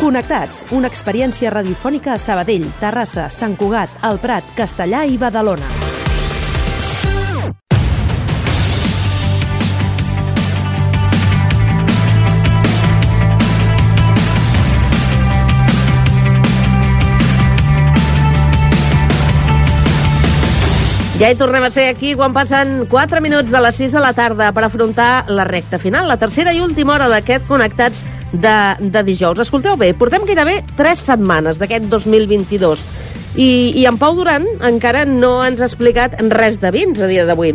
Connectats, una experiència radiofònica a Sabadell, Terrassa, Sant Cugat, El Prat, Castellà i Badalona. Ja hi tornem a ser aquí quan passen 4 minuts de les 6 de la tarda per afrontar la recta final, la tercera i última hora d'aquest Connectats de dijous. Escolteu bé, portem gairebé 3 setmanes d'aquest 2022 i en Pau Duran encara no ens ha explicat res de vins a dia d'avui.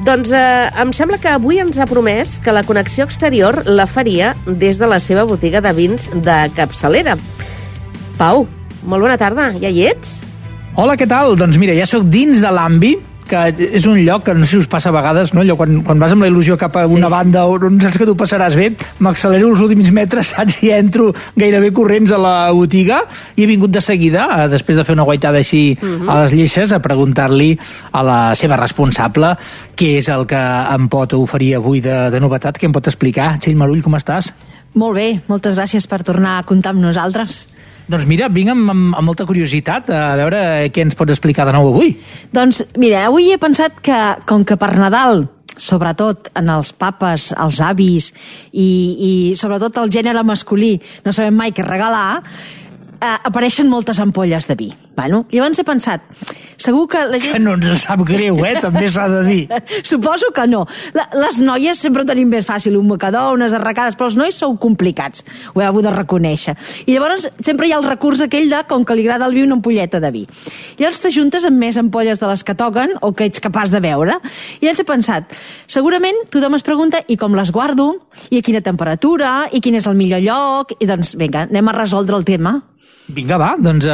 Doncs em sembla que avui ens ha promès que la connexió exterior la faria des de la seva botiga de vins de capçalera. Pau, molt bona tarda, ja hi ets? Hola, què tal? Doncs mira, ja sóc dins de l'Ambi, que és un lloc que no sé si us passa a vegades, no? Allò quan vas amb la il·lusió cap a una banda on saps que tu passaràs bé, m'accelero els últims metres, saps? I entro gairebé corrents a la botiga i he vingut de seguida, després de fer una guaitada així a les lleixes, a preguntar-li a la seva responsable què és el que em pot oferir avui de novetat, què em pot explicar. Txell Marull, com estàs? Molt bé, moltes gràcies per tornar a comptar amb nosaltres. Doncs mira, vinc amb molta curiositat a veure què ens pots explicar de nou avui. Doncs mira, avui he pensat que, com que per Nadal, sobretot en els papes, els avis i sobretot el gènere masculí, no sabem mai què regalar, apareixen moltes ampolles de vi. Bueno, llavors he pensat, segur que la gent... Que no ens sap greu, també s'ha de dir. Suposo que no. Les noies sempre tenim més fàcil un mocador, unes arracades, però els nois sou complicats, ho heu de reconèixer. I llavors sempre hi ha el recurs aquell de, com que li agrada el vi, una ampolleta de vi. Llavors t'ajuntes amb més ampolles de les que toquen o que ets capaç de veure. I llavors he pensat, segurament tothom es pregunta i com les guardo, i a quina temperatura, i quin és el millor lloc, i doncs vinga, anem a resoldre el tema. Vinga, va, doncs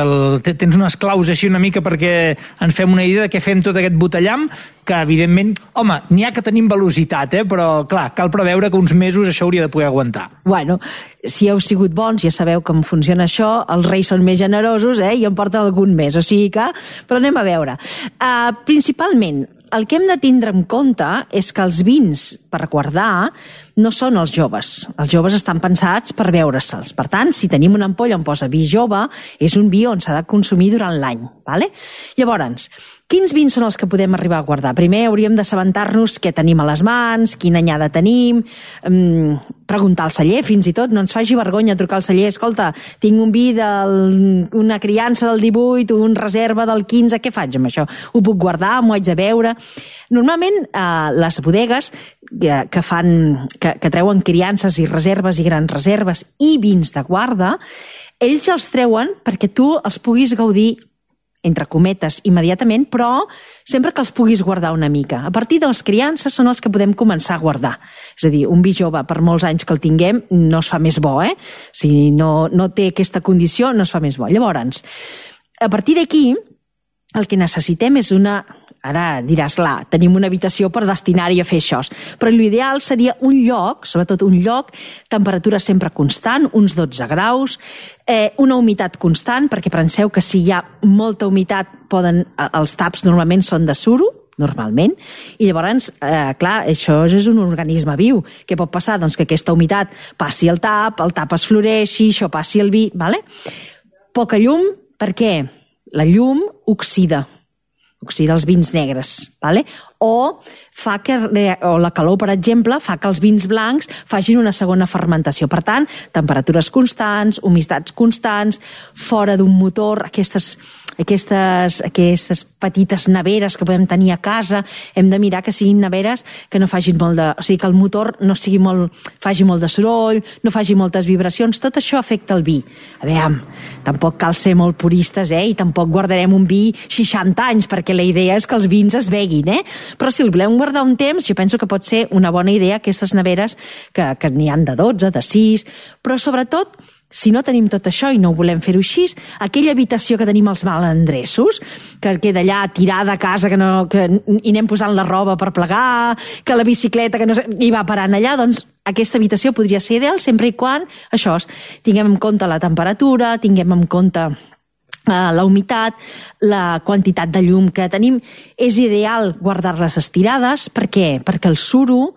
tens unes claus així una mica perquè ens fem una idea de què fem tot aquest botellam, que evidentment, home, n'hi ha que tenim velocitat, però clar, cal preveure que uns mesos això hauria de poder aguantar. Bueno, si heu sigut bons, ja sabeu com funciona això, els reis són més generosos, i en porten algun mes, o sigui que... Però anem a veure. Principalment, el que hem de tindre en compte és que els vins per guardar no són els joves. Els joves estan pensats per beure-se'ls. Per tant, si tenim una ampolla on posa vi jove, és un vi on s'ha de consumir durant l'any. Vale? Llavors, quins vins són els que podem arribar a guardar? Primer hauríem d'assabentar-nos què tenim a les mans, quina anyada tenim, preguntar al celler fins i tot, no ens faci vergonya trucar al celler, escolta, tinc un vi d'una criança del 18, un reserva del 15, què faig amb això? Ho puc guardar, m'ho haig de beure? Normalment les bodegues que treuen criances i reserves i grans reserves i vins de guarda, ells els treuen perquè tu els puguis gaudir entre cometes, immediatament, però sempre que els puguis guardar una mica. A partir de les criances són els que podem començar a guardar. És a dir, un vi jove, per molts anys que el tinguem, no es fa més bo, Si no té aquesta condició, no es fa més bo. Llavors, a partir d'aquí, el que necessitem és una... Ara diràs, tenim una habitació per destinar-hi a fer això, però l'ideal seria un lloc, sobretot un lloc, temperatura sempre constant, uns 12 graus, una humitat constant, perquè penseu que si hi ha molta humitat, els taps normalment són de suro, normalment, i llavors, clar, això és un organisme viu. Què pot passar? Doncs que aquesta humitat passi al tap es floreixi, això passi al vi, vale? Poca llum, per què? La llum oxida els vins negres, vale? O la calor, per exemple, fa que els vins blancs facin una segona fermentació. Per tant, temperatures constants, humitats constants, fora d'un motor, aquestes petites neveres que podem tenir a casa, hem de mirar que siguin neveres que no facin molt de... O sigui, que el motor no faci molt de soroll, no faci moltes vibracions, tot això afecta el vi. A veure, tampoc cal ser molt puristes, i tampoc guardarem un vi 60 anys, perquè la idea és que els vins es beguin, Però si el volem guardar un temps, jo penso que pot ser una bona idea aquestes neveres que n'hi han de 12, de 6, però sobretot, si no tenim tot això i no volem fer-ho així, aquella habitació que tenim els malandressos, que queda allà tirada a casa i anem posant la roba per plegar, que la bicicleta que no hi va parant allà, doncs aquesta habitació podria ser ideal sempre i quan tinguem en compte la temperatura, tinguem en compte la humitat, la quantitat de llum que tenim. És ideal guardar-les estirades. Per què? Perquè el suro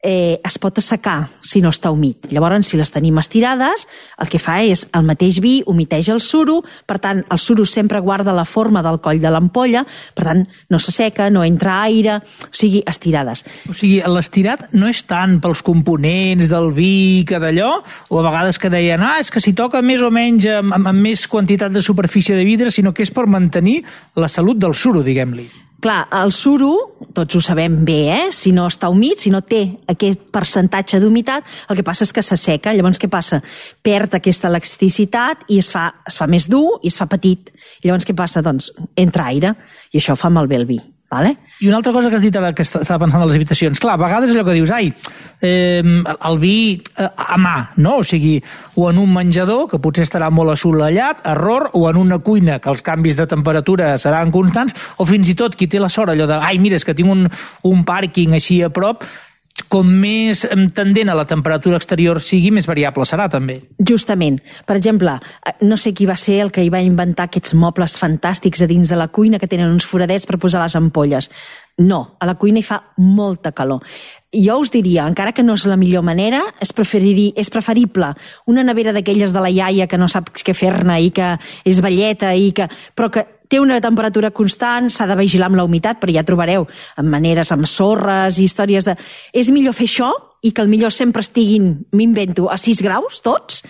es pot assecar si no està humit. Llavors, si les tenim estirades, el que fa és el mateix vi humiteix el suro, per tant, el suro sempre guarda la forma del coll de l'ampolla, per tant, no s'asseca, no entra aire, o sigui, estirades. O sigui, l'estirat no és tant pels components del vi que d'allò, o a vegades que deien, és que si toca més o menys amb més quantitat de superfície de vidre, sinó que és per mantenir la salut del suro, diguem-li. Clar, el suro, tots ho sabem bé, si no està humit, si no té aquest percentatge d'humitat, el que passa és que s'asseca. Llavors, què passa? Perd aquesta elasticitat i es fa més dur i es fa petit. Llavors, què passa? Doncs entra aire i això fa malbé el vi. Vale? I una altra cosa que has dit ara que estava pensant en les habitacions, clar, a vegades allò que dius, el vi a mà, no? O sigui, o en un menjador, que potser estarà molt assolellat, error, o en una cuina, que els canvis de temperatura seran constants, o fins i tot qui té la sort allò de, mira, és que tinc un pàrquing així a prop, com més tendent a la temperatura exterior sigui, més variable serà, també. Justament. Per exemple, no sé qui va ser el que hi va inventar aquests mobles fantàstics a dins de la cuina que tenen uns foradets per posar les ampolles. No, a la cuina hi fa molta calor. Jo us diria, encara que no és la millor manera, és preferible una nevera d'aquelles de la iaia que no sap què fer-ne i que és velleta però que té una temperatura constant, s'ha de vigilar amb la humitat, però ja trobareu en maneres amb sorres i històries de... És millor fer això i que millor sempre estiguin, m'invento, a 6 graus tots,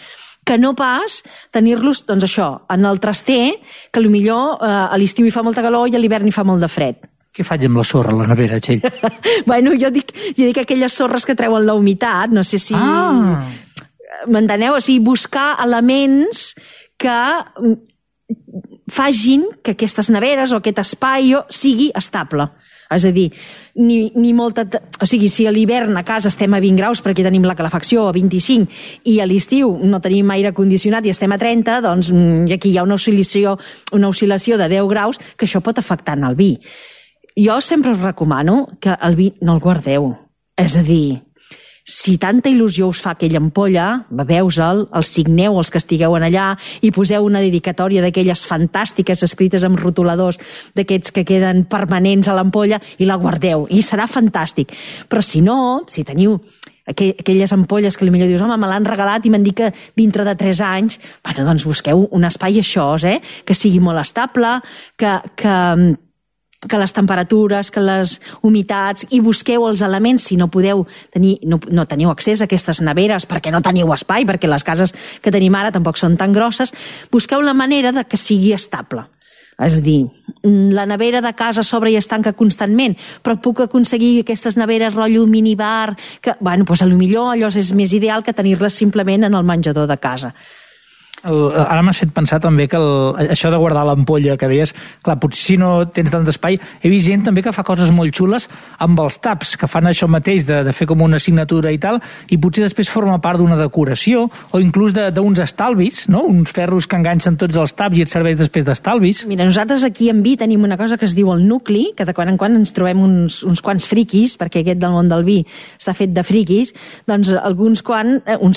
que no pas tenir-los, doncs això, en el traster, que potser a l'estiu hi fa molta calor i a l'hivern hi fa molt de fred. Què faig amb la sorra a la nevera, Txell? Bueno, jo dic aquelles sorres que treuen la humitat, no sé si... M'enteneu? O sigui, buscar elements que facin que aquestes neveres o aquest espai sigui estable. És a dir, o sigui, si a l'hivern a casa estem a 20 graus perquè tenim la calefacció a 25 i a l'estiu no tenim aire condicionat i estem a 30, doncs aquí hi ha una oscil·lació de 10 graus que això pot afectar en el vi. Jo sempre us recomano que el vi no el guardeu. És a dir, si tanta il·lusió us fa aquella ampolla, beveu-se'l, el signeu els que estigueu allà i poseu una dedicatòria d'aquelles fantàstiques escrites amb rotuladors, d'aquests que queden permanents a l'ampolla, i la guardeu, i serà fantàstic. Però si no, si teniu aquelles ampolles que potser dius, home, me l'han regalat i m'han dit que dintre de 3 anys, bueno, doncs busqueu un espai això, que sigui molt estable, que les temperatures, que les humitats, i busqueu els elements si no podeu tenir, no teniu accés a aquestes neveres perquè no teniu espai, perquè les cases que tenim ara tampoc són tan grosses, busqueu la manera de que sigui estable. És a dir, la nevera de casa s'obre i es tanca constantment, però puc aconseguir aquestes neveres rotllo minibar, que, bueno, doncs potser allò és més ideal que tenir-les simplement en el menjador de casa. Ara m'has fet pensar també que això de guardar l'ampolla que deies, clar, potser si no tens tant d'espai, he vist gent també que fa coses molt xules amb els taps, que fan això mateix de fer com una signatura i tal, i potser després forma part d'una decoració o inclús d'uns estalvis, no? Uns ferros que enganxen tots els taps i et serveix després d'estalvis. Mira, nosaltres aquí en Vi tenim una cosa que es diu el nucli, que de quan en quan ens trobem uns quants friquis, perquè aquest del món del vi està fet de friquis, doncs uns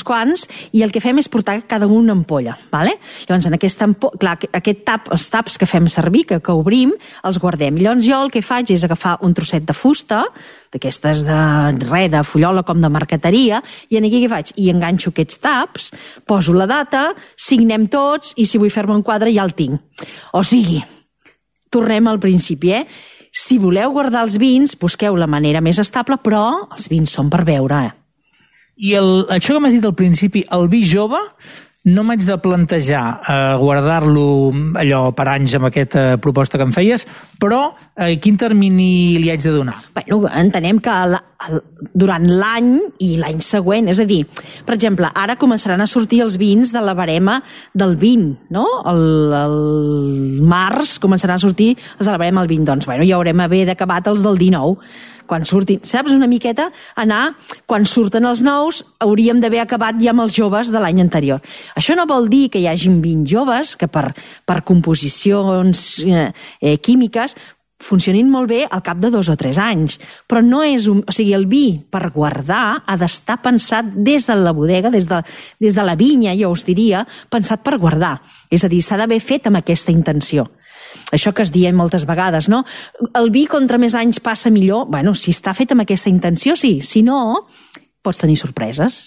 quants, i el que fem és portar cada una ampolla. Vale? Llavors, en els taps que fem servir, que obrim, els guardem. Llavors, jo el que faig és agafar un trosset de fusta, d'aquestes de fullola com de marqueteria, i aquí què faig? I enganxo aquests taps, poso la data, signem tots, i si vull fer-me un quadre ja el tinc. O sigui, tornem al principi, Si voleu guardar els vins, busqueu la manera més estable, però els vins són per beure, I això que m'has dit al principi, el vi jove, no m'haig de plantejar guardar-lo allò per anys amb aquesta proposta que em feies, però quin termini li haig de donar? Bueno, entenem que durant l'any i l'any següent, és a dir, per exemple, ara començaran a sortir els vins de la barema del 20, no? El març començaran a sortir els de la barema del 20, doncs, bueno, ja haurem acabat els del 19, quan surtin, saps, una miqueta quan surten els nous, hauríem d'haver acabat ja amb els joves de l'any anterior. Això no vol dir que hi hagin 20 joves que per composicions químiques funcionin molt bé al cap de 2 o 3 anys, però no és o sigui, el vi per guardar ha d'estar pensat des de la bodega, des de la vinya, jo us diria, pensat per guardar. És a dir, s'ha d'haver fet amb aquesta intenció. Això que es diem moltes vegades, no? El vi, contra més anys passa millor. Bueno, si està fet amb aquesta intenció, sí. Si no, pots tenir sorpreses.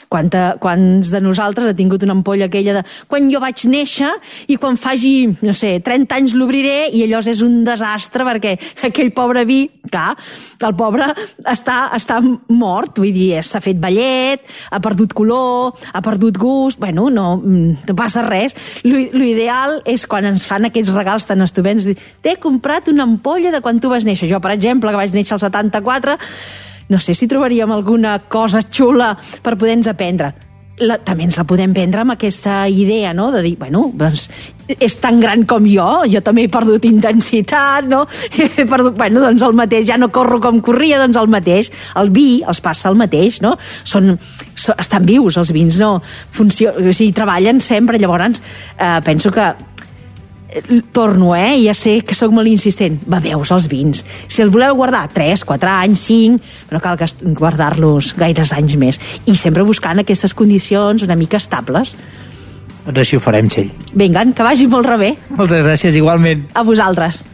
Quants de nosaltres ha tingut una ampolla aquella de quan jo vaig néixer i quan faci, no sé, 30 anys l'obriré i allò és un desastre perquè aquell pobre vi, clar, el pobre està mort, vull dir, s'ha fet vellet, ha perdut color, ha perdut gust, bueno, no passa res. L'ideal és quan ens fan aquells regals tan estupends, t'he comprat una ampolla de quan tu vas néixer. Jo, per exemple, que vaig néixer al 74, no sé si trobaríem alguna cosa xula per poder-nos aprendre. També ens la podem prendre amb aquesta idea, no?, de dir, bueno, doncs, és tan gran com jo també he perdut intensitat, no? He perdut, bueno, doncs el mateix, ja no corro com corria, doncs el mateix. El vi els passa el mateix, no? Estan vius, els vins, no? O sigui, treballen sempre, llavors penso que torno, ja sé que sóc molt insistent, beveus els vins. Si els voleu guardar 3, 4 anys, 5, però cal guardar-los gaires anys més. I sempre buscant aquestes condicions una mica estables. Doncs així ho farem, Txell. Vinga, que vagi molt rebé. Moltes gràcies, igualment. A vosaltres.